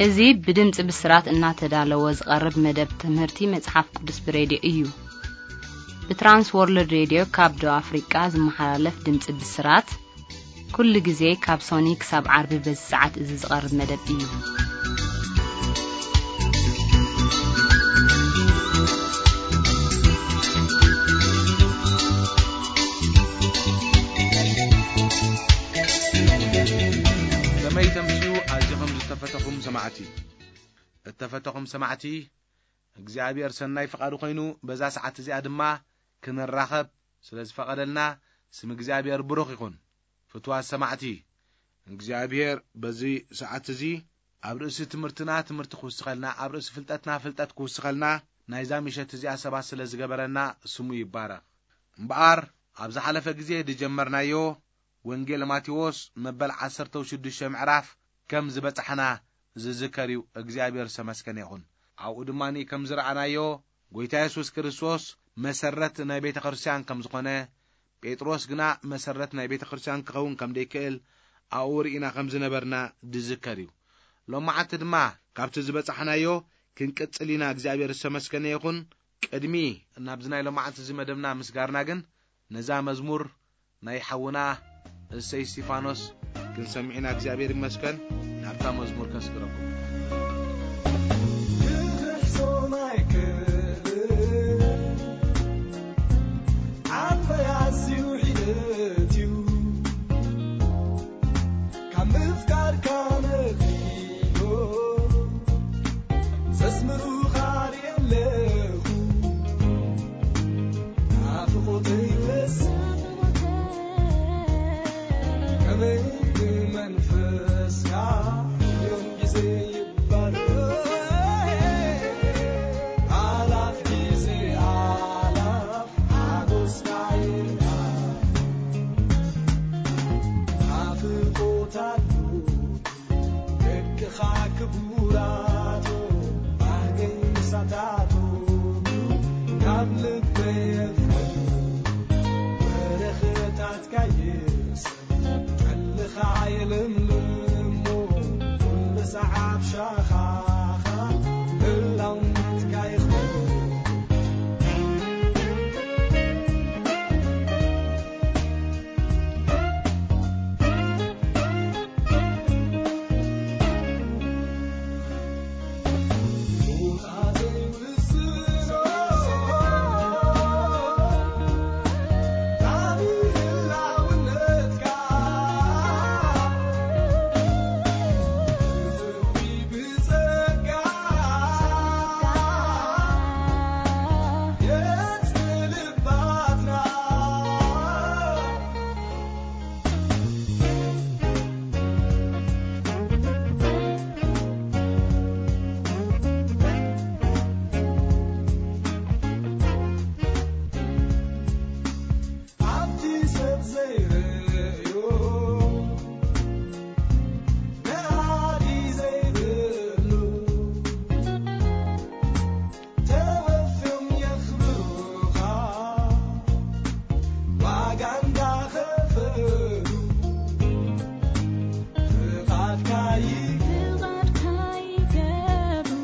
እዚ ብድምፂ ብስራት እናተዳለወ ዝቐርብ መደብ ትምህርቲ መጽሓፍ ቅዱስ ብሬድዮ እዩ። ብትራንስ ወርልድ ሬድዮ ካብ ደቡብ ኣፍሪቃ ዝመሓላለፍ ድምፂ ብስራት፣ ኩሉ ግዜ ካብ ሶኒ ክሳብ ዓርቢ በዚ ሰዓት እዚ ዝቐርብ መደብ እዩ። ከመይ ተምስዩ ኣዚኹም ዝተፈተኹም ሰማዕቲ። እተፈተኹም ሰማዕቲ፣ እግዚኣብሔር ሰናይ ፍቓዱ ኮይኑ በዛ ሰዓት እዚኣ ድማ ክንራኸብ ስለ ዝፈቐደልና ስም እግዚኣብሔር ብሩኽ ይኹን። ፍትዋት ሰማዕቲ፣ እግዚኣብሔር በዚ ሰዓት እዚ ኣብ ርእሲ ትምህርትና ትምህርቲ ክውስኸልና፣ ኣብ ርእሲ ፍልጠትና ፍልጠት ክውስኸልና ናይዛ ምሸት እዚኣ ሰባት ስለ ዝገበረና ስሙ ይባረኽ። እምበኣር ኣብ ዝሓለፈ ግዜ ዝጀመርናዮ ወንጌል ማቴዎስ መበል ዓሰርተ ሽዱሽተ ምዕራፍ ከም ዝበጻሕና ዝዝከር እዩ። እግዚኣብሔር ዝተመስገነ ይኹን። ኣብኡ ድማ ከም ዝረኣናዮ፣ ጎይታ የሱስ ክርስቶስ መሰረት ናይ ቤተ ክርስቲያን ከም ዝኾነ፣ ጴጥሮስ ግና መሰረት ናይ ቤተ ክርስቲያን ክኸውን ከም ዘይክእል ኣብኡ ርኢና ከም ዝነበርና ዝዝከር እዩ። ሎማዓንቲ ድማ ካብቲ ዝበጻሕናዮ ክንቅጽል ኢና። እግዚኣብሔር ዝተመስገነ ይኹን። ቅድሚ ናብዚ ናይ ሎማዓንቲ እዚ መደብና ምስጋርና ግን፣ ነዛ መዝሙር ናይ ሓውና እሰይ እስቲፋኖስ ክንሰምዕ ኢና። እግዚኣብሔር ይመስገን። ናብታ መዝሙር ከስግረኩም። ክብሪ ሕሶም ኣይክእልን፣ ዓበይ ኣዝዩ ሒደት እዩ። ካብ ምፍቃርካ ነኺሎ ዘስምሩኻ ርእየ ኣለኹ። ናፍቖተይ ይፈስስ ከመይ ብመንፈስካ፣ ሚልዮን ግዜ ይባረኽ። ኣላፍ ግዜ ኣላፍ ሓጎስካ ይርኣ። ናፍቖት ኣሎ ደቅኻ ክቡራቶ፣ ባህገይ ምሳታቶ፣ ካብ ልበይ የፍቅር በረኸታትካ ይስዕብ። ጠልኻ የለምልሞ፣ ኩሉ ሰዓብ ሻኻኻ፣ ህላውነትካ ይኽበር። ኣብቲ ሰብ ዘይርእዮ፣ ነኣዲ ዘይብሉ፣ ተወፍዮም የኽብሩኻ፣ ዋጋ እንዳኸፈሉ፣ ፍቓድካ ይገብሩ።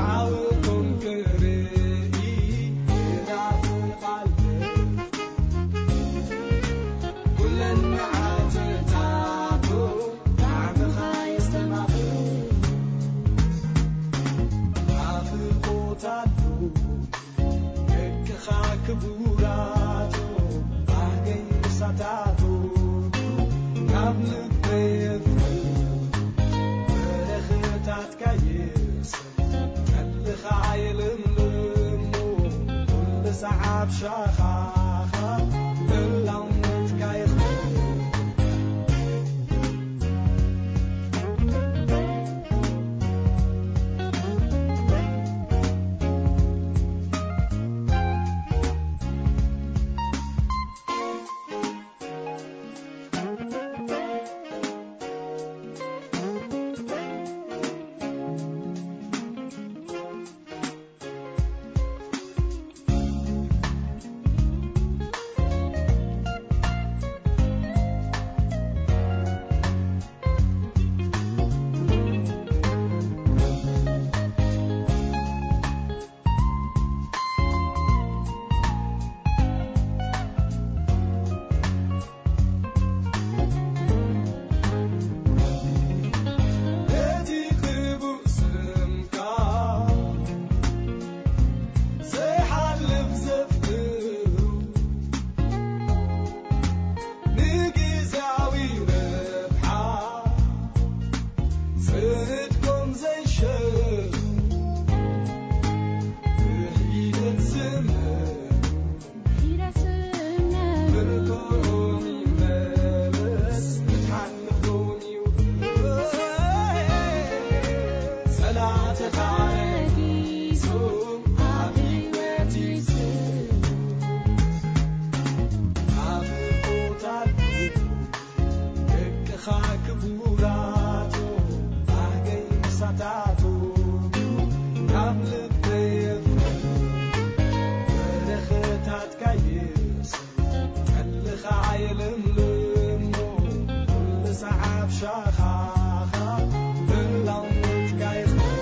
ዓወቶም ክርኢ ይናፍቕ ኣለኹ። ኩለን መዓልትታቱ ጣዕምኻ የስተማቕር። ናፍቖት ኣሎ ደቅኻ ክቡራቶ፣ ባህገይ ምሳታቶ፣ ካብ ልበይ የፍቅር በረኸታትካ ይስዕብ። ጠልኻ የለምልሞ፣ ኩሉ ሰዓብ ሻኻኻ፣ ህላውነትካ ይኽበር። ክቡራቱ ባህገይ ምሳታቱ ካብ ልበይ የፍቅር በረኸታትካ ይስር ቀልኻ የለምልሞ ኩሉ ሰዓብ ሻኻኻ ምላውነትካ ይኽበር።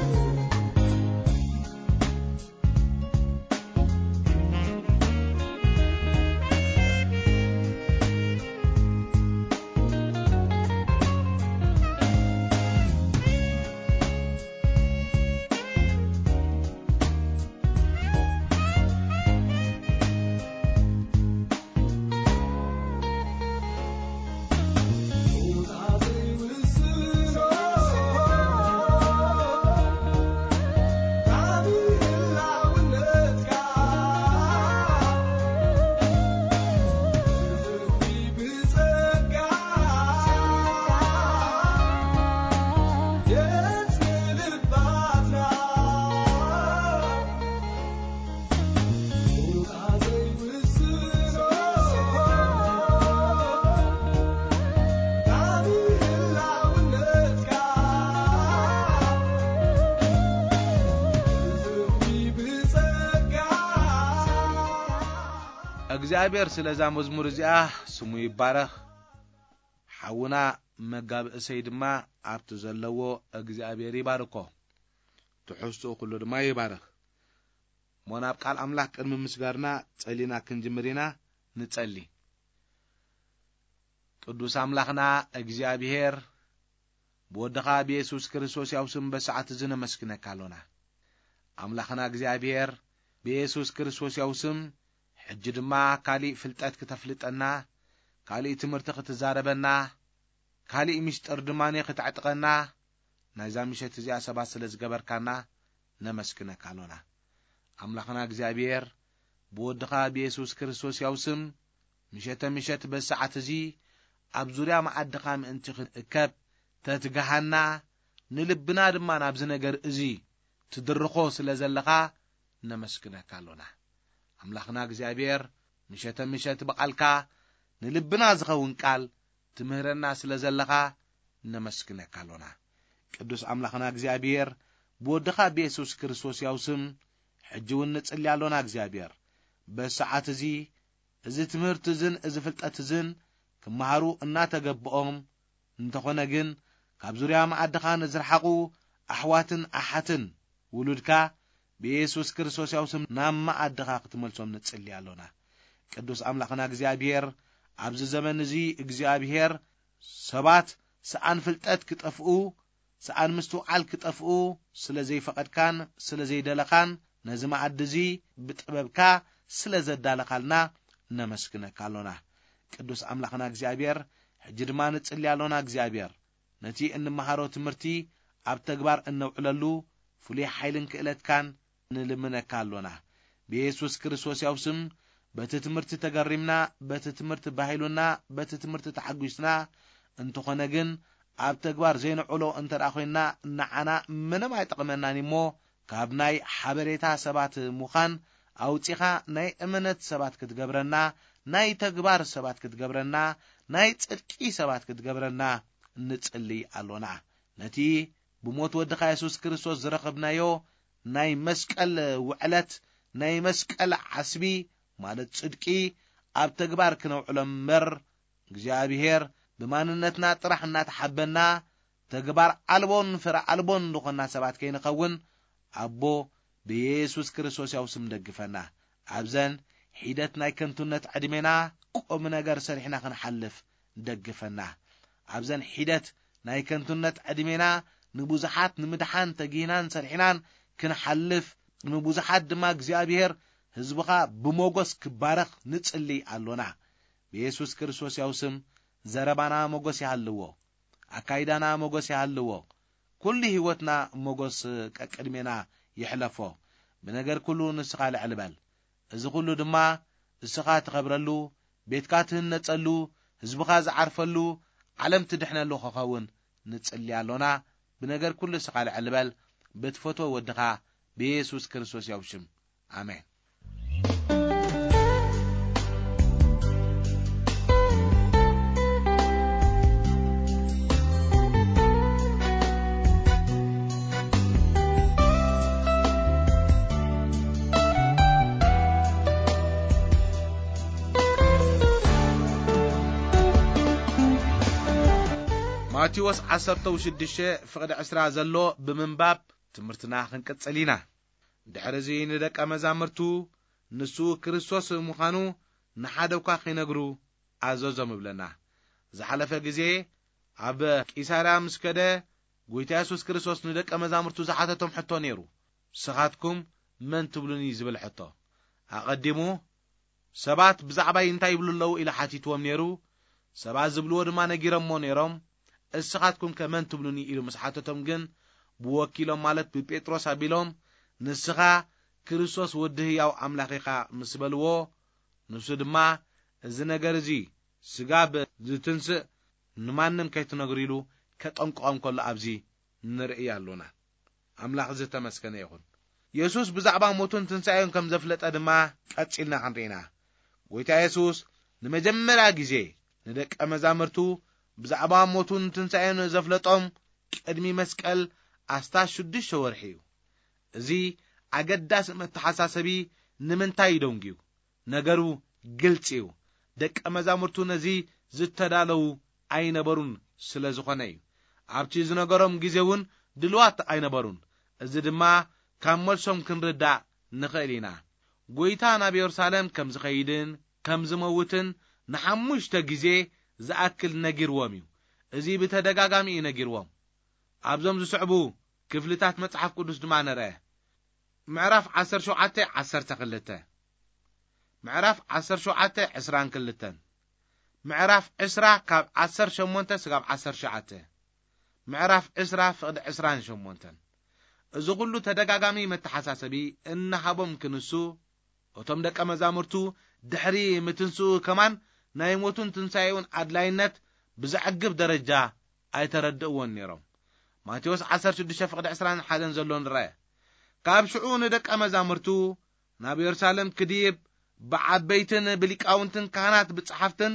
እግዚኣብሔር ስለዛ መዝሙር እዚኣ ስሙ ይባረኽ። ሓውና መጋቢ እሰይ ድማ ኣብቲ ዘለዎ እግዚኣብሔር ይባርኮ። ትሕዝትኡ ኩሉ ድማ ይባረኽ። እሞ ናብ ቃል ኣምላኽ ቅድሚ ምስጋርና ጸሊና ክንጅምር ኢና። ንጸሊ። ቅዱስ ኣምላኽና እግዚኣብሔር፣ ብወድኻ ብየሱስ ክርስቶስ ያው ስም በሰዓት እዚ ነመስግነካ ኣሎና። ኣምላኽና እግዚኣብሔር፣ ብየሱስ ክርስቶስ ያው ስም ሕጂ ድማ ካሊእ ፍልጠት ክተፍልጠና፣ ካሊእ ትምህርቲ ክትዛረበና፣ ካሊእ ምስጢር ድማ ክትዕጥቀና፣ ናይዛ ምሸት እዚኣ ሰባት ስለ ዝገበርካና ነመስግነካ ኣሎና። ኣምላኽና እግዚኣብሔር፣ ብወድኻ ብየሱስ ክርስቶስ ያው ስም፣ ምሸተ ምሸት በሰዓት እዚ ኣብ ዙርያ መዓድኻ ምእንቲ ክንእከብ ተትግሃና፣ ንልብና ድማ ናብዚ ነገር እዚ ትድርኾ ስለ ዘለኻ ነመስግነካ ኣሎና። ኣምላኽና እግዚኣብሔር፣ ምሸተ ምሸት ብቓልካ ንልብና ዝኸውን ቃል ትምህረና ስለ ዘለኻ ነመስግነካ ኣሎና። ቅዱስ ኣምላኽና እግዚኣብሔር፣ ብወድኻ ብየሱስ ክርስቶስ ያው ስም፣ ሕጂ እውን ንጽሊ ኣሎና እግዚኣብሔር። በሰዓት እዚ፣ እዚ ትምህርቲ እዝን እዚ ፍልጠት እዝን ክመሃሩ እናተገብኦም፣ እንተኾነ ግን፣ ካብ ዙርያ መኣድኻ ንዝረሓቑ ኣሕዋትን ኣሓትን ውሉድካ ብየሱስ ክርስቶስ ያው ስም ናብ መኣድኻ ክትመልሶም ንጽሊ ኣሎና። ቅዱስ ኣምላኽና እግዚኣብሔር፣ ኣብዚ ዘመን እዚ እግዚኣብሔር ሰባት ሰኣን ፍልጠት ክጠፍኡ፣ ሰኣን ምስትውዓል ክጠፍኡ ስለ ዘይፈቐድካን ስለ ዘይደለኻን፣ ነዚ መኣዲ እዚ ብጥበብካ ስለ ዘዳለኻልና ነመስግነካ ኣሎና። ቅዱስ ኣምላኽና እግዚኣብሔር፣ ሕጂ ድማ ንጽሊ ኣሎና። እግዚኣብሔር፣ ነቲ እንመሃሮ ትምህርቲ ኣብ ተግባር እነውዕለሉ ፍሉይ ሓይልን ክእለትካን ንልምነካ ኣሎና። ብየሱስ ክርስቶስ ያው ስም፣ በቲ ትምህርቲ ተገሪምና፣ በቲ ትምህርቲ ባሂሉና፣ በቲ ትምህርቲ ተሓጒስና፣ እንተኾነ ግን ኣብ ተግባር ዘይንዕሎ እንተ ደኣ ኮይንና፣ ንዓና ምንም ኣይጠቕመናን እሞ፣ ካብ ናይ ሓበሬታ ሰባት ምዃን ኣውጺኻ ናይ እምነት ሰባት ክትገብረና፣ ናይ ተግባር ሰባት ክትገብረና፣ ናይ ጽድቂ ሰባት ክትገብረና ንጽሊ ኣሎና። ነቲ ብሞት ወድኻ የሱስ ክርስቶስ ዝረኸብናዮ ናይ መስቀል ውዕለት፣ ናይ መስቀል ዓስቢ፣ ማለት ጽድቂ፣ ኣብ ተግባር ክነውዕሎ እምበር፣ እግዚኣብሔር ብማንነትና ጥራሕ እናተሓበና፣ ተግባር ኣልቦን ፍረ ኣልቦን ዝኾንና ሰባት ከይንኸውን፣ ኣቦ ብየሱስ ክርስቶስ ያው ስም ደግፈና። ኣብዘን ሒደት ናይ ከንቱነት ዕድሜና ቁም ነገር ሰሪሕና ክንሓልፍ ደግፈና። ኣብዘን ሒደት ናይ ከንቱነት ዕድሜና ንብዙሓት ንምድሓን ተጊህናን ሰሪሕናን ክንሓልፍ፣ ንብዙሓት ድማ እግዚኣብሔር ህዝብኻ ብሞገስ ክባረኽ ንጽሊ ኣሎና። ብየሱስ ክርስቶስ ያው ስም ዘረባና ሞገስ ይሃልዎ፣ ኣካይዳና ሞገስ ይሃልዎ፣ ኩሉ ህይወትና ሞገስ ቀቅድሜና ይሕለፎ። ብነገር ኩሉ ንስኻ ልዕል በል። እዚ ኩሉ ድማ እስኻ ትኸብረሉ፣ ቤትካ ትህነጸሉ፣ ህዝብኻ ዝዓርፈሉ፣ ዓለም ትድሕነሉ ክኸውን ንጽሊ ኣሎና። ብነገር ኩሉ እስኻ ልዕል በል፣ ብትፈትዎ ወድኻ ብየሱስ ክርስቶስ ያው ሽም። ኣሜን። ማቴዎስ ዓሰርተ ሽዱሽተ ፍቕዲ ዕስራ ዘሎ ብምንባብ ትምህርትና ክንቅጽል ኢና። ድሕሪ እዚ ንደቀ መዛሙርቱ ንሱ ክርስቶስ ምዃኑ ንሓደ እኳ ከይነግሩ ኣዘዞም ይብለና። ዝሓለፈ ግዜ ኣብ ቂሳርያ ምስ ከደ፣ ጎይታ የሱስ ክርስቶስ ንደቀ መዛሙርቱ ዝሓተቶም ሕቶ ነይሩ። "ንስኻትኩም መን ትብሉኒ?" ዝብል ሕቶ። ኣቐዲሙ ሰባት ብዛዕባይ እንታይ ይብሉ ኣለዉ ኢሉ ሓቲትዎም ነይሩ። ሰባት ዝብልዎ ድማ ነጊሮምዎ ነይሮም። "እስኻትኩም ከ መን ትብሉኒ?" ኢሉ ምስ ሓተቶም ግን፣ ብወኪሎም ማለት ብጴጥሮስ ኣቢሎም፣ "ንስኻ ክርስቶስ ወዲ ህያው ኣምላኽ ኢኻ" ምስ በልዎ፣ ንሱ ድማ፣ "እዚ ነገር እዚ ስጋብ ዝትንስእ ንማንም ከይትነግሩ" ኢሉ ከጠንቅቖም ከሎ ኣብዚ ንርኢ ኣሎና። ኣምላኽ ዝተመስገነ ይኹን። የሱስ ብዛዕባ ሞቱን ትንሳኤን ከም ዘፍለጠ ድማ ቀጺልና ክንርኢ ኢና። ጎይታ የሱስ ንመጀመርያ ግዜ ንደቀ መዛሙርቱ ብዛዕባ ሞቱን ትንሳኤን ዘፍለጦም ቅድሚ መስቀል ኣስታት ሽዱሽተ ወርሒ እዩ። እዚ ኣገዳሲ መተሓሳሰቢ ንምንታይ እዩ ደንጉዩ? ነገሩ ግልጺ እዩ። ደቀ መዛሙርቱ ነዚ ዝተዳለዉ ኣይነበሩን ስለ ዝኾነ እዩ። ኣብቲ ዝነገሮም ግዜ እውን ድልዋት ኣይነበሩን። እዚ ድማ ካብ መልሶም ክንርዳእ ንኽእል ኢና። ጎይታ ናብ የሩሳሌም ከም ዝኸይድን ከም ዝመውትን ንሓሙሽተ ግዜ ዝኣክል ነጊርዎም እዩ። እዚ ብተደጋጋሚ እዩ ነጊርዎም። ኣብዞም ዝስዕቡ ክፍልታት መጽሓፍ ቅዱስ ድማ ንርአ። ምዕራፍ ዓሰርተ ሸውዓተ፣ ዓሰርተ ክልተ፣ ምዕራፍ ዓሰርተ ሸውዓተ፣ ዕስራን ክልተን፣ ምዕራፍ ዕስራ ካብ ዓሰርተ ሸሞንተ ስጋብ ዓሰርተ ሸውዓተ፣ ምዕራፍ ዕስራ ፍቕዲ ዕስራን ሸሞንተን። እዚ ኹሉ ተደጋጋሚ መተሓሳሰቢ እናሃቦም ክንሱ፣ እቶም ደቀ መዛሙርቱ ድሕሪ ምትንስኡ ከማን ናይ ሞቱን ትንሳኤኡን ኣድላይነት ብዘዕግብ ደረጃ ኣይተረድእዎን ነይሮም። ማቴዎስ ዓሰርተ ሽዱሽተ ፍቕዲ ዕስራን ሓደን ዘሎ ንርአ። ካብ ሽዑ ንደቀ መዛሙርቱ ናብ የሩሳሌም ክድይብ ብዓበይትን ብሊቃውንትን ካህናት ብጸሓፍትን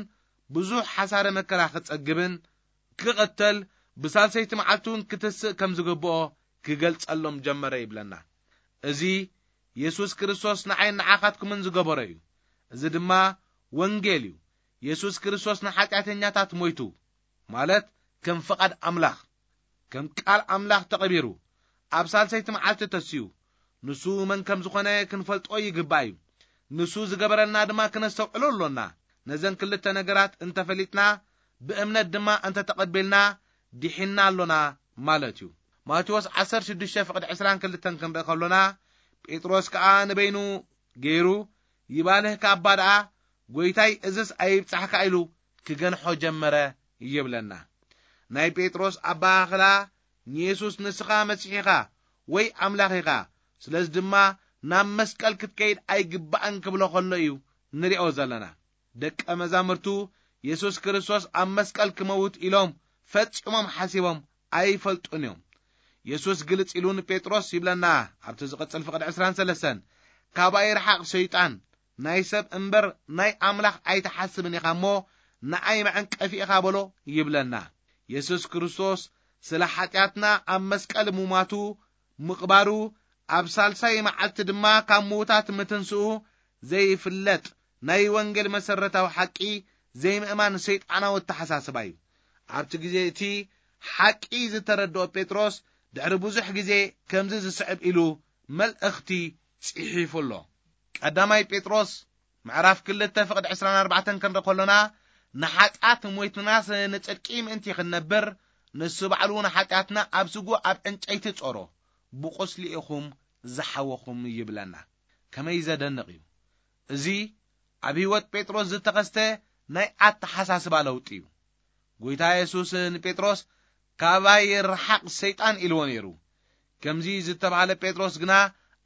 ብዙሕ ሓሳረ መከራ ክጸግብን ክቕተል ብሳልሰይቲ መዓልቲ እውን ክትስእ ከም ዝግብኦ ክገልጸሎም ጀመረ ይብለና። እዚ የሱስ ክርስቶስ ንዓይን ንዓኻትኩምን ዝገበሮ እዩ። እዚ ድማ ወንጌል እዩ። የሱስ ክርስቶስ ንሓጢኣተኛታት ሞይቱ፣ ማለት ከም ፍቓድ ኣምላኽ፣ ከም ቃል ኣምላኽ ተቐቢሩ፣ ኣብ ሳልሰይቲ መዓልቲ ተስዩ። ንሱ መን ከም ዝኾነ ክንፈልጦ ይግባእ እዩ። ንሱ ዝገበረልና ድማ ክነስተውዕሎ ኣሎና። ነዘን ክልተ ነገራት እንተፈሊጥና፣ ብእምነት ድማ እንተተቐቢልና፣ ድሒንና ኣሎና ማለት እዩ። ማቴዎስ ዓሰርተ ሽዱሽተ ፍቕዲ ዕስራን ክልተን ክንርኢ ከሎና፣ ጴጥሮስ ከኣ ንበይኑ ገይሩ፣ "ይባልህ ከኣባ ደኣ፣ ጎይታይ፣ እዝስ ኣይብጻሕካ" ኢሉ ክገንሖ ጀመረ ይብለና። ናይ ጴጥሮስ ኣበሃህላ፣ ንየሱስ "ንስኻ መሲሕ ኢኻ ወይ ኣምላኽ ኢኻ፣ ስለዚ ድማ ናብ መስቀል ክትከይድ ኣይግባእን" ክብሎ ከሎ እዩ ንሪኦ ዘለና። ደቀ መዛሙርቱ የሱስ ክርስቶስ ኣብ መስቀል ክመውት ኢሎም ፈጺሞም ሓሲቦም ኣይፈልጡን እዮም። የሱስ ግልጽ ኢሉ ንጴጥሮስ ይብለና፣ ኣብቲ ዝቕጽል ፍቕዲ ዕስራን ሰለስተን፣ "ካባይ ርሓቕ ሰይጣን፣ ናይ ሰብ እምበር ናይ ኣምላኽ ኣይትሓስብን ኢኻ እሞ፣ ንኣይ መዐንቀፊ ኢኻ" በሎ ይብለና። የሱስ ክርስቶስ ስለ ሓጢኣትና ኣብ መስቀል ምሟቱ፣ ምቕባሩ፣ ኣብ ሳልሳይ መዓልቲ ድማ ካብ ምዉታት ምትንስኡ ዘይፍለጥ ናይ ወንጌል መሰረታዊ ሓቂ ዘይምእማን ሰይጣናዊ ኣተሓሳስባ እዩ። ኣብቲ ግዜ እቲ ሓቂ ዝተረድኦ ጴጥሮስ ድሕሪ ብዙሕ ግዜ ከምዚ ዝስዕብ ኢሉ መልእኽቲ ጽሒፉ ኣሎ። ቀዳማይ ጴጥሮስ ምዕራፍ ክልተ ፍቕዲ ዕስራን ኣርባዕተን ክንርኢ ከሎና፣ "ንሓጢኣት ሞይትናስ ንጽድቂ ምእንቲ ክንነብር፣ ንሱ ባዕሉ ንሓጢኣትና ኣብ ስጉ ኣብ ዕንጨይቲ ጾሮ፣ ብቁስሊ ኢኹም ዝሓወኹም" ይብለና። ከመይ ዘደንቕ እዩ! እዚ ኣብ ህይወት ጴጥሮስ ዝተኸስተ ናይ ኣተሓሳስባ ለውጢ እዩ። ጎይታ የሱስ ንጴጥሮስ፣ "ካባይ ርሓቕ ሰይጣን" ኢልዎ ነይሩ። ከምዚ ዝተባህለ ጴጥሮስ ግና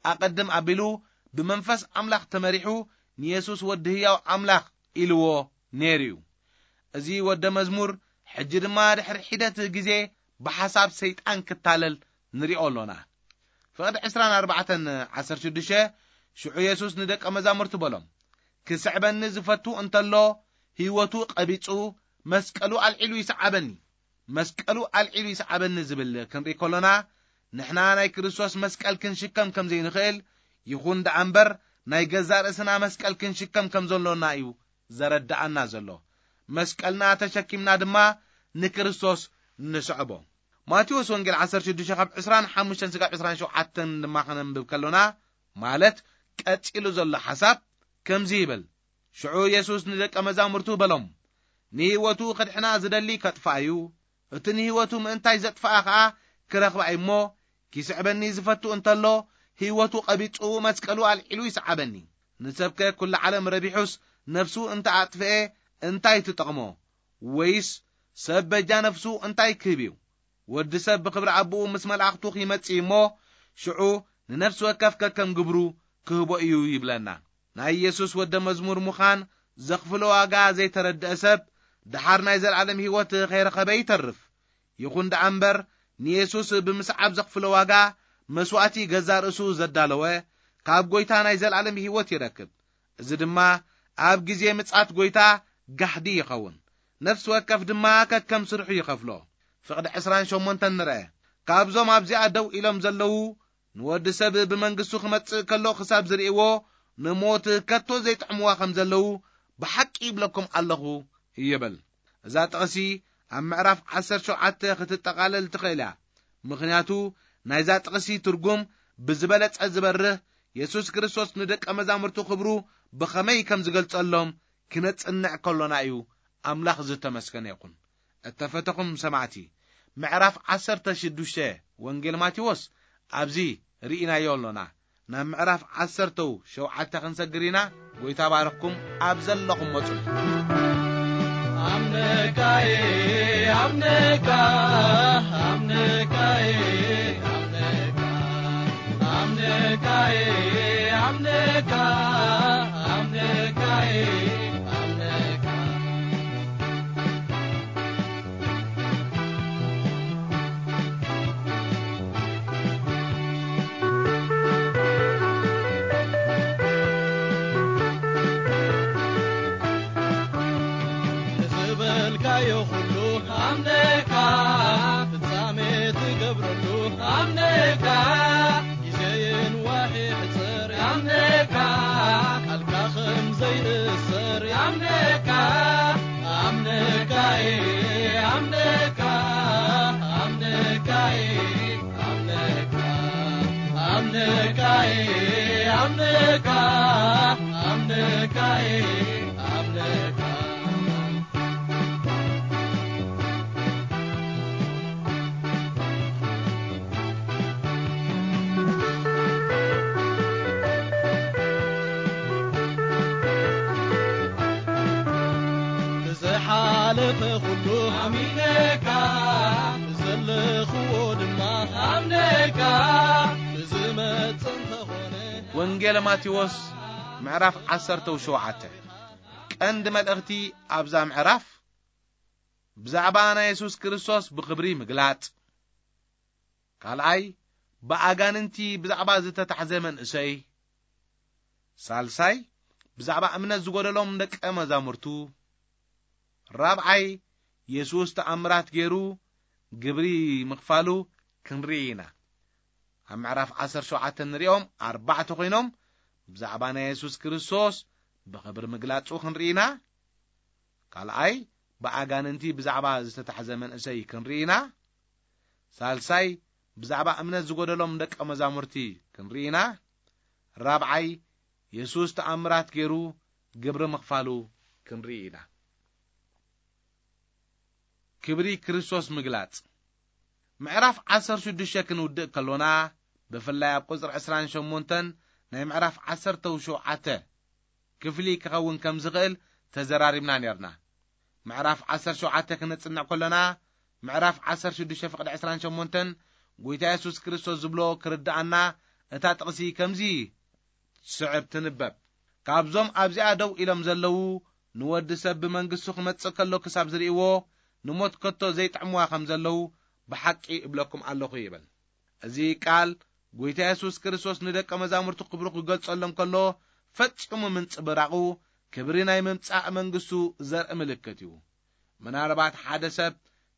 ኣቐድም ኣቢሉ ብመንፈስ ኣምላኽ ተመሪሑ ንየሱስ ወዲ ህያው ኣምላኽ ኢልዎ ነይሩ እዩ። እዚ ወደ መዝሙር ሕጂ ድማ ድሕሪ ሒደት ግዜ ብሓሳብ ሰይጣን ክታለል ንሪኦ ኣሎና። ፍቕዲ ዕስራን ኣርባዕተን ዓሰርተ ሽዱሽተ፣ ሽዑ የሱስ ንደቀ መዛሙርቱ በሎም፣ "ክስዕበኒ ዝፈቱ እንተሎ፣ ህይወቱ ቀቢጹ፣ መስቀሉ ኣልዒሉ ይስዓበኒ። መስቀሉ ኣልዒሉ ይስዓበኒ" ዝብል ክንርኢ ከሎና፣ ንሕና ናይ ክርስቶስ መስቀል ክንሽከም ከም ዘይንኽእል፣ ይኹን ደኣ እምበር ናይ ገዛእ ርእስና መስቀል ክንሽከም ከም ዘሎና እዩ ዘረድኣና ዘሎ። መስቀልና ተሸኪምና ድማ ንክርስቶስ ንስዕቦ። ማቴዎስ ወንጌል ዓሰርተ ሽዱሽተ ካብ ዕስራን ሓሙሽተን ስጋብ ዕስራን ሸውዓተን ድማ ከነንብብ ከሎና፣ ማለት ቀጺሉ ዘሎ ሓሳብ ከምዚ ይብል። ሽዑ የሱስ ንደቀ መዛሙርቱ በሎም፣ "ንህይወቱ ክድሕና ዝደሊ ከጥፍኣ እዩ፣ እቲ ንህይወቱ ምእንታይ ዘጥፍኣ ኸኣ ክረኽባ እዩ እሞ፣ ኪስዕበኒ ዝፈቱ እንተሎ፣ ህይወቱ ቐቢጹ መስቀሉ ኣልዒሉ ይስዓበኒ። ንሰብከ ኩሉ ዓለም ረቢሑስ ነፍሱ እንተ ኣጥፍኤ እንታይ ትጠቕሞ? ወይስ ሰብ በጃ ነፍሱ እንታይ ክህብ እዩ? ወዲ ሰብ ብኽብሪ ኣቦኡ ምስ መላእኽቱ ኺመጽእ እሞ፣ ሽዑ ንነፍሲ ወከፍ ከከም ግብሩ ክህቦ እዩ" ይብለና። ናይ የሱስ ወደ መዝሙር ምዃን ዘኽፍሎ ዋጋ ዘይተረድአ ሰብ፣ ደሓር ናይ ዘለኣለም ህይወት ኸይረኸበ ይተርፍ። ይኹን ደኣ እምበር፣ ንየሱስ ብምስዓብ ዘኽፍሎ ዋጋ፣ መስዋእቲ ገዛእ ርእሱ ዘዳለወ፣ ካብ ጐይታ ናይ ዘለኣለም ህይወት ይረክብ። እዚ ድማ ኣብ ግዜ ምጽኣት ጐይታ ጋህዲ ይኸውን። ነፍሲ ወከፍ ድማ ከከም ስርሑ ይኸፍሎ። ፍቕዲ ዕስራን ሸሞንተን ንርአ። ካብዞም ኣብዚኣ ደው ኢሎም ዘለዉ፣ ንወዲ ሰብ ብመንግስቱ ክመጽእ ከሎ ክሳብ ዝርእይዎ፣ ንሞት ከቶ ዘይጥዕምዋ ከም ዘለዉ ብሓቂ ይብለኩም ኣለኹ ይብል። እዛ ጥቕሲ ኣብ ምዕራፍ ዓሰርተ ሸውዓተ ክትጠቓለል ትኽእል እያ። ምኽንያቱ ናይዛ ጥቕሲ ትርጉም ብዝበለጸ ዝበርህ፣ የሱስ ክርስቶስ ንደቀ መዛሙርቱ ክብሩ ብኸመይ ከም ዝገልጸሎም ክነጽንዕ ከሎና እዩ። ኣምላኽ ዝተመስገነ ይኹን። እተፈተኹም ሰማዕቲ፣ ምዕራፍ ዓሰርተ ሽዱሽተ ወንጌል ማቴዎስ ኣብዚ ርኢናዮ ኣሎና። ናብ ምዕራፍ ዓሰርተ ሸውዓተ ክንሰግር ኢና። ጐይታ ባርኽኩም ኣብ ዘለኹም መጹ። ኣምነካየ፣ ኣምነካ፣ ኣምነካየ፣ ኣምነካ፣ ኣምነካየ፣ ኣምነካ፣ ኣምነካየ፣ ኣምነካ። ዝበልካዮ ኩሉ ኣምነካ፣ ፍጻሜ ትገብረሉ ኣምነካ፣ ግዜን ዋሒ ሕጽር ኣምነካ፣ ቃልካ ከም ዘይእሰር ኣምነካ፣ ኣምነካ፣ ኣምነካ፣ ኣምነካ፣ ኣምነካ፣ ኣምነካ፣ ኣምነካ፣ ኣምነካ፣ ኣምነካ። ብዝሓለፈ ኩሉ ኣሚነካ፣ ብዘለኽዎ ድማ ኣምነካ፣ ብዝመጽእ እንተኾነ። ወንጌል ማቴዎስ ምዕራፍ ዓሰርተ ሸውዓተ። ቀንዲ መልእኽቲ ኣብዛ ምዕራፍ ብዛዕባ ናይ የሱስ ክርስቶስ ብኽብሪ ምግላጽ፣ ካልኣይ፣ ብኣጋንንቲ ብዛዕባ ዝተታሕዘ መንእሰይ፣ ሳልሳይ፣ ብዛዕባ እምነት ዝጎደሎም ደቀ መዛሙርቱ፣ ራብዓይ፣ የሱስ ተኣምራት ገይሩ ግብሪ ምኽፋሉ ክንርኢ ኢና። ኣብ ምዕራፍ ዓሰርተ ሸውዓተ ንሪኦም ኣርባዕተ ኮይኖም ብዛዕባ ናይ የሱስ ክርስቶስ ብኽብሪ ምግላጹ ክንርኢ ኢና። ካልኣይ፣ ብኣጋንንቲ ብዛዕባ ዝተታሕዘ መንእሰይ ክንርኢ ኢና። ሳልሳይ፣ ብዛዕባ እምነት ዝጎደሎም ደቀ መዛሙርቲ ክንርኢ ኢና። ራብዓይ፣ የሱስ ተኣምራት ገይሩ ግብሪ ምኽፋሉ ክንርኢ ኢና። ክብሪ ክርስቶስ ምግላጽ። ምዕራፍ ዓሰርተ ሽዱሽተ ክንውድእ ከሎና፣ ብፍላይ ኣብ ቁጽሪ ዕስራን ሸሞንተን ናይ ምዕራፍ ዓሰርተ ሸውዓተ ክፍሊ ክኸውን ከም ዝኽእል ተዘራሪብና ኔርና። ምዕራፍ ዓሰርተ ሸውዓተ ክነጽንዕ ከሎና፣ ምዕራፍ ዓሰርተ ሽዱሽተ ፍቕዲ ዕስራን ሸሞንተን ጐይታ የሱስ ክርስቶስ ዝብሎ ክርድኣና እታ ጥቕሲ ከምዚ ስዕብ ትንበብ። ካብዞም ኣብዚኣ ደው ኢሎም ዘለዉ፣ ንወዲ ሰብ ብመንግስቱ ክመጽእ ከሎ ክሳብ ዝርእይዎ፣ ንሞት ከቶ ዘይጥዕምዋ ከም ዘለዉ ብሓቂ እብለኩም ኣለኹ ይብል። እዚ ቃል ጐይታ የሱስ ክርስቶስ ንደቀ መዛሙርቱ ክብሩ ክገልጸሎም ከሎ ፈጺሙ ምንጽብራቑ፣ ክብሪ ናይ ምምጻእ መንግስቱ ዘርኢ ምልክት እዩ። ምናልባት ሓደ ሰብ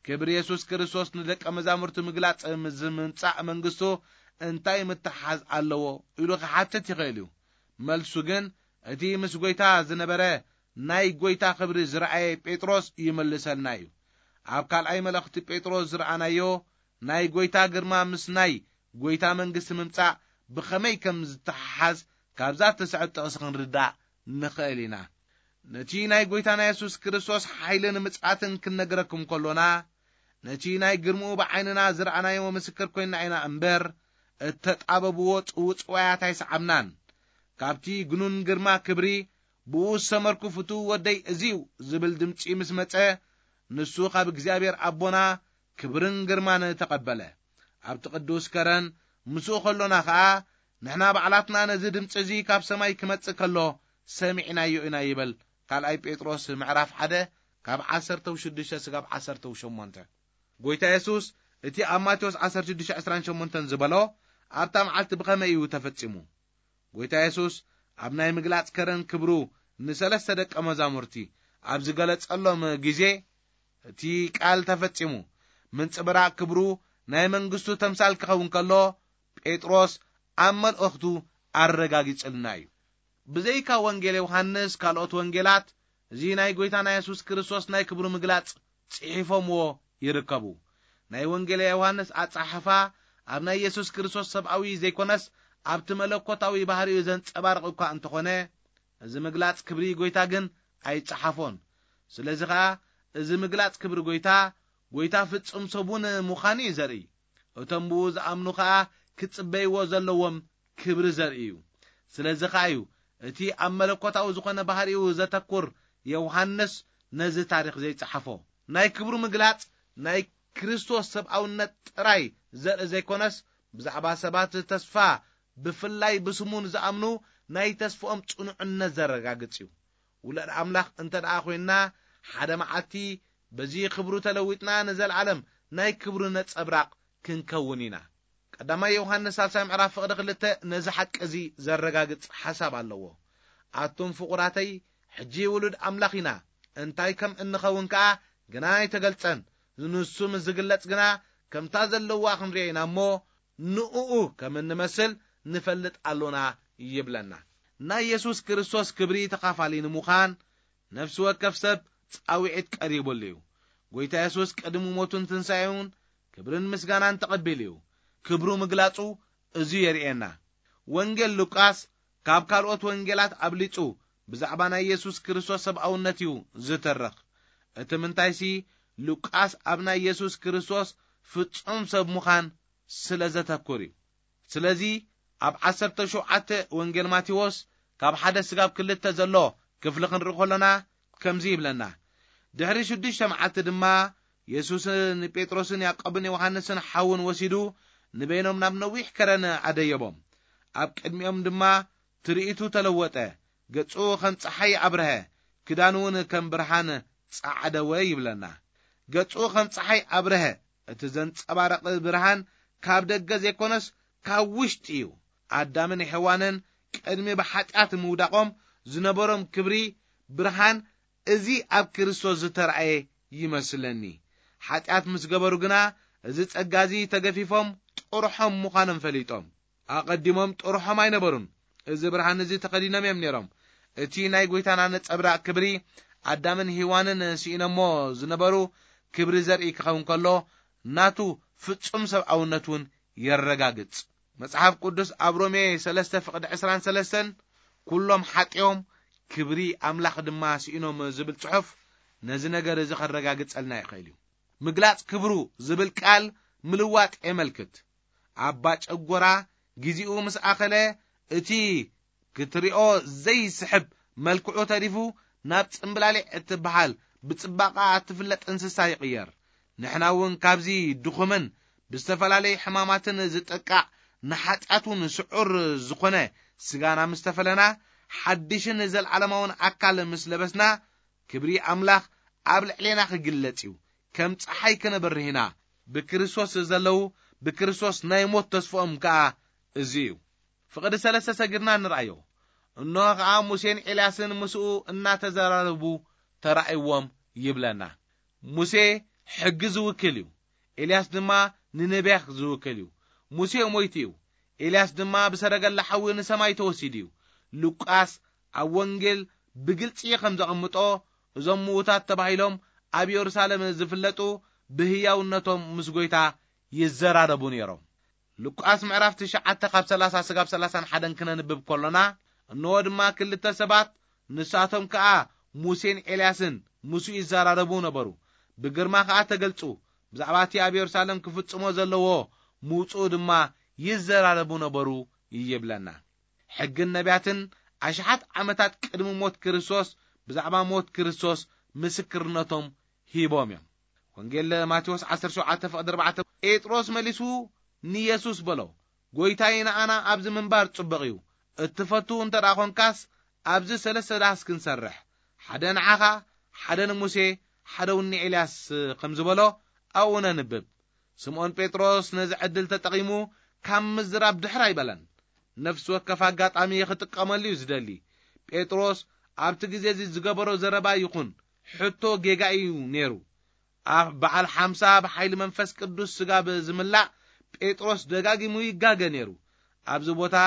ክብሪ የሱስ ክርስቶስ ንደቀ መዛሙርቱ ምግላጽ ምስ ምምጻእ መንግስቱ እንታይ ምትሓዝ ኣለዎ ኢሉ ክሓትት ይኽእል እዩ። መልሱ ግን እቲ ምስ ጐይታ ዝነበረ ናይ ጐይታ ክብሪ ዝረኣየ ጴጥሮስ ይመልሰልና እዩ። ኣብ ካልኣይ መልእኽቲ ጴጥሮስ ዝረኣናዮ ናይ ጐይታ ግርማ ምስ ናይ ጐይታ መንግስቲ ምምጻእ ብኸመይ ከም ዝተሓሓዝ ካብዛ እትስዕብ ጥቕሲ ክንርዳእ ንኽእል ኢና። ነቲ ናይ ጐይታና የሱስ ክርስቶስ ሓይልን ምጽኣትን ክንነግረኩም ከሎና፣ ነቲ ናይ ግርምኡ ብዓይንና ዝረኣናዮ ምስክር ኮይንና ኢና እምበር፣ እተጣበብዎ ጽውጽዋያት ኣይሰዓብናን። ካብቲ ግኑን ግርማ ክብሪ፣ ብኡ ዝሰመርኩ ፍቱው ወደይ እዚ'ዩ ዝብል ድምጺ ምስ መጸ፣ ንሱ ካብ እግዚኣብሔር ኣቦና ክብርን ግርማን ተቐበለ። ኣብቲ ቅዱስ ከረን ምስኡ ከሎና ኸኣ፣ ንሕና ባዕላትና ነዚ ድምጺ እዚ ካብ ሰማይ ክመጽእ ከሎ ሰሚዕናዮ ኢና ይብል። ካልኣይ ጴጥሮስ ምዕራፍ ሓደ ካብ ዓሰርተ ሽዱሽተ ስጋብ ዓሰርተ ሸሞንተ። ጐይታ የሱስ እቲ ኣብ ማቴዎስ ዓሰርተ ሽዱሽተ ዕስራን ሸሞንተን ዝበሎ፣ ኣብታ መዓልቲ ብኸመይ እዩ ተፈጺሙ? ጐይታ የሱስ ኣብ ናይ ምግላጽ ከረን ክብሩ ንሰለስተ ደቀ መዛሙርቲ ኣብ ዝገለጸሎም ግዜ፣ እቲ ቃል ተፈጺሙ፣ ምንጽብራቕ ክብሩ ናይ መንግስቱ ተምሳል ክኸውን ከሎ፣ ጴጥሮስ ኣብ መልእኽቱ ኣረጋጊጽልና እዩ። ብዘይካ ወንጌል ዮሃንስ፣ ካልኦት ወንጌላት እዚ ናይ ጐይታና የሱስ ክርስቶስ ናይ ክብሩ ምግላጽ ጽሒፎምዎ ይርከቡ። ናይ ወንጌል ዮሃንስ ኣጸሓሕፋ ኣብ ናይ የሱስ ክርስቶስ ሰብኣዊ ዘይኮነስ ኣብቲ መለኮታዊ ባህሪኡ ዘንጸባርቕ እኳ እንተኾነ፣ እዚ ምግላጽ ክብሪ ጐይታ ግን ኣይጸሓፎን። ስለዚ ኸኣ እዚ ምግላጽ ክብሪ ጐይታ፣ ጐይታ ፍጹም ሰቡን ምዃኑ እዩ ዘርኢ። እቶም ብኡ ዝኣምኑ ኸኣ ክጽበይዎ ዘለዎም ክብሪ ዘርኢ እዩ። ስለዚ ኸኣ እዩ እቲ ኣብ መለኮታዊ ዝኾነ ባህሪኡ ዘተኩር ዮሃንስ ነዚ ታሪኽ ዘይጸሓፎ። ናይ ክብሩ ምግላጽ ናይ ክርስቶስ ሰብኣውነት ጥራይ ዘርኢ ዘይኮነስ፣ ብዛዕባ ሰባት ተስፋ፣ ብፍላይ ብስሙ ንዝኣምኑ ናይ ተስፍኦም ጽኑዕነት ዘረጋግጽ እዩ። ውላድ ኣምላኽ እንተ ደኣ ኾይንና፣ ሓደ መዓልቲ በዚ ክብሩ ተለዊጥና ንዘለኣለም ናይ ክብሩ ነጸብራቕ ክንከውን ኢና። ቀዳማይ ዮሃንስ ሳልሳይ ምዕራፍ ፍቕዲ ክልተ ነዚ ሓቂ እዚ ዘረጋግጽ ሓሳብ ኣለዎ። ኣቱም ፍቑራተይ፣ ሕጂ ውሉድ ኣምላኽ ኢና፣ እንታይ ከም እንኸውን ከኣ ግና ኣይተገልጸን። ንሱ ምስ ዝግለጽ ግና ከምታ ዘለዋ ክንሪኦ ኢና እሞ፣ ንእኡ ከም እንመስል ንፈልጥ ኣሎና ይብለና። ናይ የሱስ ክርስቶስ ክብሪ ተኻፋሊ ንምዃን ነፍሲ ወከፍ ሰብ ጻውዒት ቀሪቡሉ እዩ። ጐይታ የሱስ ቅድሚ ሞቱን ትንሳኤውን ክብርን ምስጋናን ተቐቢሉ እዩ። ክብሩ ምግላጹ እዚ የርእየና። ወንጌል ሉቃስ ካብ ካልኦት ወንጌላት ኣብሊጹ ብዛዕባ ናይ የሱስ ክርስቶስ ሰብኣውነት እዩ ዝትርኽ። እቲ ምንታይሲ፣ ሉቃስ ኣብ ናይ የሱስ ክርስቶስ ፍጹም ሰብ ምዃን ስለ ዘተኩር እዩ። ስለዚ ኣብ ዓሰርተ ሸውዓተ ወንጌል ማቴዎስ ካብ ሓደ ስጋብ ክልተ ዘሎ ክፍሊ ክንርኢ ከሎና ከምዚ ይብለና። ድሕሪ ሽዱሽተ መዓልቲ ድማ የሱስ ንጴጥሮስን ያዕቆብን ዮሃንስን ሓውን ወሲዱ ንበይኖም ናብ ነዊሕ ከረን ኣደየቦም። ኣብ ቅድሚኦም ድማ ትርኢቱ ተለወጠ። ገጹ ከም ጸሓይ ኣብርሀ፣ ክዳኑ እውን ከም ብርሃን ጸዓደወ ይብለና። ገጹ ከም ጸሓይ ኣብርሀ። እቲ ዘንጸባረቐ ብርሃን ካብ ደገ ዘይኮነስ ካብ ውሽጢ እዩ። ኣዳምን ሔዋንን ቅድሚ ብሓጢኣት ምውዳቖም ዝነበሮም ክብሪ ብርሃን እዚ ኣብ ክርስቶስ ዝተራእየ ይመስለኒ። ሓጢኣት ምስ ገበሩ ግና እዚ ጸጋ እዚ ተገፊፎም ጥርሖም ምዃኖም ፈሊጦም። ኣቐዲሞም ጥርሖም ኣይነበሩን። እዚ ብርሃን እዚ ተኸዲኖም እዮም ነይሮም። እቲ ናይ ጐይታና ነጸብራቕ ክብሪ ኣዳምን ሔዋንን ስኢኖሞ ዝነበሩ ክብሪ ዘርኢ ክኸውን ከሎ፣ ናቱ ፍጹም ሰብኣውነት እውን የረጋግጽ። መጽሓፍ ቅዱስ ኣብ ሮሜ ሰለስተ ፍቕዲ ዕስራን ሰለስተን፣ "ኩሎም ሓጢኦም ክብሪ ኣምላኽ ድማ ስኢኖም" ዝብል ጽሑፍ ነዚ ነገር እዚ ከረጋግጸልና ይኽእል እዩ። ምግላጽ ክብሩ ዝብል ቃል ምልዋጥ የመልክት። ኣባ ጨጎራ ግዜኡ ምስ ኣኸለ፣ እቲ ክትሪኦ ዘይስሕብ መልክዑ ተሪፉ ናብ ጽምብላሊዕ እትበሃል ብጽባቐኣ እትፍለጥ እንስሳ ይቕየር። ንሕና እውን ካብዚ ድኹምን ብዝተፈላለየ ሕማማትን ዝጠቃዕ ንሓጢኣት እውን ስዑር ዝኾነ ስጋና ምስ ተፈለና፣ ሓድሽን ዘለዓለማውን ኣካል ምስ ለበስና፣ ክብሪ ኣምላኽ ኣብ ልዕሌና ክግለጽ እዩ። ከም ጸሓይ ክንበርህ ኢና። ብክርስቶስ ዘለዉ ብክርስቶስ ናይ ሞት ተስፍኦም ከኣ እዚ እዩ። ፍቕዲ ሰለስተ ሰጊርና ንርኣዮ። እንሆ ኸኣ ሙሴን ኤልያስን ምስኡ እናተዘራረቡ ተራእይዎም ይብለና። ሙሴ ሕጊ ዝውክል እዩ። ኤልያስ ድማ ንነቢያት ዝውክል እዩ። ሙሴ ሞይቱ እዩ። ኤልያስ ድማ ብሰረገላ ሓዊ ንሰማይ ተወሲዱ እዩ። ሉቃስ ኣብ ወንጌል ብግልጺ ከም ዘቐምጦ፣ እዞም ምዉታት ተባሂሎም ኣብ የሩሳሌም ዝፍለጡ ብህያውነቶም ምስ ጎይታ ይዘራረቡ ነይሮም። ሉቃስ ምዕራፍ ትሽዓተ ካብ ሰላሳ ስጋብ ሰላሳን ሓደን ክነንብብ ከሎና፣ እንሆ ድማ ክልተ ሰባት፣ ንሳቶም ከኣ ሙሴን ኤልያስን፣ ምስኡ ይዘራረቡ ነበሩ። ብግርማ ከኣ ተገልጹ፣ ብዛዕባ እቲ ኣብ የሩሳሌም ክፍጽሞ ዘለዎ ምውጽኡ ድማ ይዘራረቡ ነበሩ ይብለና። ሕግን ነቢያትን ኣሽሓት ዓመታት ቅድሚ ሞት ክርስቶስ ብዛዕባ ሞት ክርስቶስ ምስክርነቶም ሂቦም እዮም። ወንጌል ማቴዎስ ዓሰርተ ሸውዓተ ፍቕዲ ኣርባዕተ፣ ጴጥሮስ መሊሱ ንየሱስ በሎ፣ "ጎይታይ፣ ንኣና ኣብዚ ምንባር ጽቡቕ እዩ። እትፈቱ እንተ ደኣ ኾንካስ ኣብዚ ሰለስተ ዳስ ክንሰርሕ፣ ሓደ ንዓኻ፣ ሓደ ንሙሴ፣ ሓደ እውን ንኤልያስ" ከም ዝበሎ ኣብኡ ነንብብ። ስምዖን ጴጥሮስ ነዚ ዕድል ተጠቒሙ ካብ ምዝራብ ድሕር ኣይበለን። ነፍሲ ወከፍ ኣጋጣሚ ክጥቀመሉ እዩ ዝደሊ። ጴጥሮስ ኣብቲ ግዜ እዚ ዝገበሮ ዘረባ ይኹን ሕቶ ጌጋ እዩ ነይሩ። ኣብ በዓል ሓምሳ ብሓይሊ መንፈስ ቅዱስ ስጋብ ዝምላእ ጴጥሮስ ደጋጊሙ ይጋገ ነይሩ። ኣብዚ ቦታ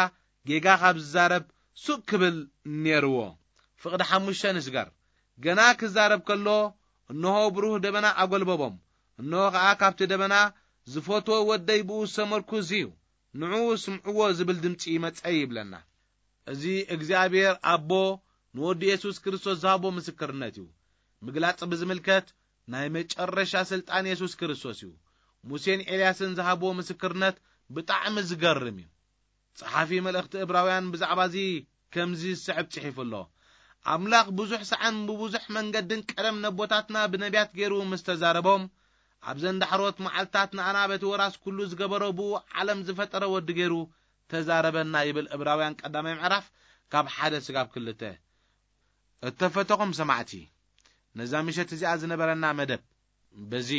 ጌጋ ካብ ዝዛረብ ሱቅ ክብል ነይርዎ። ፍቕዲ ሓሙሽተ ንስገር። ገና ክዛረብ ከሎ፣ እንሆ ብሩህ ደበና ኣጎልበቦም። እንሆ ኸኣ ካብቲ ደበና፣ "ዝፈትዎ ወደይ ብኡ ዝተመርኩዝ እዩ፣ ንዕኡ ስምዕዎ" ዝብል ድምጺ መጸ ይብለና። እዚ እግዚኣብሔር ኣቦ ንወዱ የሱስ ክርስቶስ ዝሃቦ ምስክርነት እዩ። ምግላጽ ብዝምልከት ናይ መጨረሻ ስልጣን የሱስ ክርስቶስ እዩ። ሙሴን ኤልያስን ዝሃብዎ ምስክርነት ብጣዕሚ ዝገርም እዩ። ጸሓፊ መልእኽቲ እብራውያን ብዛዕባ እዚ ከምዚ ዝስዕብ ጽሒፉ ኣሎ። ኣምላኽ ብዙሕ ሳዕን ብብዙሕ መንገድን ቀደም ነቦታትና ብነቢያት ገይሩ ምስ ተዛረቦም፣ ኣብዘን ዳሕሮት መዓልትታት ንኣና በቲ ወራስ ኩሉ ዝገበሮ ብኡ ዓለም ዝፈጠረ ወዲ ገይሩ ተዛረበና ይብል እብራውያን ቀዳማይ ምዕራፍ ካብ ሓደ ስጋብ ክልተ። እተፈተኹም ሰማዕቲ፣ ነዛ ምሸት እዚኣ ዝነበረና መደብ በዚ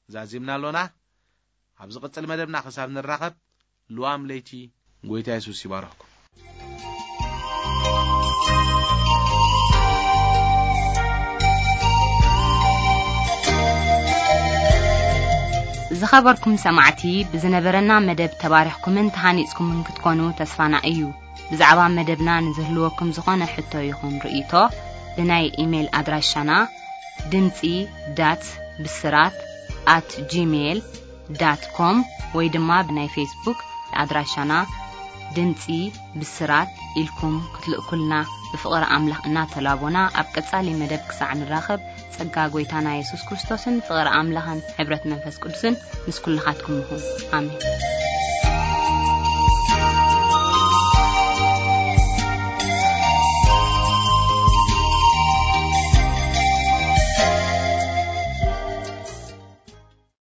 ዛዚምና ኣሎና። ኣብ ዝቕጽል መደብና ክሳብ ንራኸብ፣ ልዋም ለይቲ። ጎይታ የሱስ ይባርኽኩም። ዝኸበርኩም ሰማዕቲ፣ ብዝነበረና መደብ ተባሪኽኩምን ተሃኒጽኩምን ክትኮኑ ተስፋና እዩ። ብዛዕባ መደብና ንዝህልወኩም ዝኾነ ሕቶ ይኹን ርእይቶ፣ ብናይ ኢሜይል ኣድራሻና ድምጺ ዳት ብስራት ኣት ጂሜይል ዳት ኮም ወይ ድማ ብናይ ፌስቡክ ኣድራሻና ድምጺ ብስራት ኢልኩም ክትልእኩልና ብፍቕሪ ኣምላኽ እናተላቦና፣ ኣብ ቀጻሊ መደብ ክሳዕ ንራኸብ፣ ጸጋ ጎይታና የሱስ ክርስቶስን ፍቕሪ ኣምላኽን ሕብረት መንፈስ ቅዱስን ምስ ኩልኻትኩም ይኹን። ኣሜን።